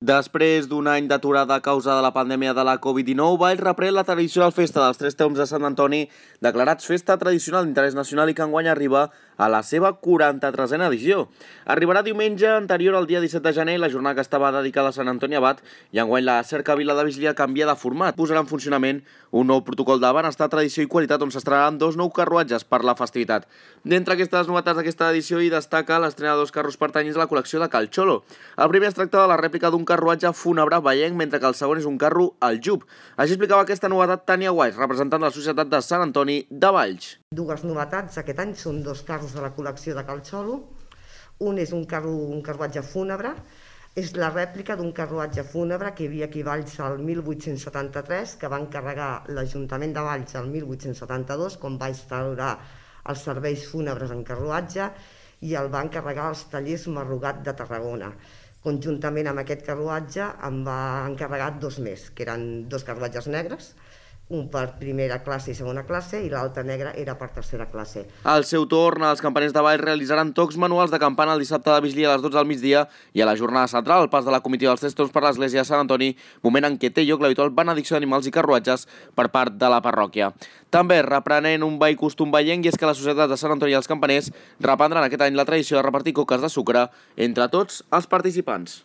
Després d'un any d'aturada a causa de la pandèmia de la Covid-19, Valls reprèn la tradicional festa dels Tres Tombs de Sant Antoni, declarats festa tradicional d'interès nacional i que enguany arriba a la seva 43a edició. Arribarà diumenge anterior al dia 17 de gener, la jornada que estava dedicada a Sant Antoni Abat, i enguany la cercavila de Vigília canvia de format. Posarà en funcionament un nou protocol de benestar, tradició i qualitat on s'estrenaran 2 nous carruatges per la festivitat. D'entre aquestes novetats d'aquesta edició hi destaca l'estrena de 2 carros pertanyents a la col·lecció de Cal Xolo. El primer es tracta de la rèplica d'un carruatge fúnebre vallenc, mentre que el segon és un carro al Jub. Així explicava aquesta novetat Tània Guais, representant de la Societat de Sant Antoni de Valls. Dues novetats aquest any són 2 carros de la col·lecció de Cal Xolo. Un és un carruatge fúnebre, és la rèplica d'un carruatge fúnebre que hi havia aquí a Valls el 1873, que va encarregar l'Ajuntament de Valls el 1872, quan va instaurar els serveis fúnebres en carruatge, i el va encarregar als tallers Marrugat de Tarragona. Conjuntament amb aquest carruatge em va encarregar 2 més, que eren 2 carruatges negres, un per primera classe i segona classe, i l'altre negre era per tercera classe. Al seu torn, els campaners de Valls realitzaran tocs manuals de campana el dissabte de Vigília a les 12 del migdia i a la jornada central, el pas de la comitiva dels Tres Tombs per l'església de Sant Antoni, moment en què té lloc l'habitual benedicció d'animals i carruatges per part de la parròquia. També reprenent un vell costum vallenc, i és que la Societat de Sant Antoni i els campaners reprendran aquest any la tradició de repartir coques de sucre entre tots els participants.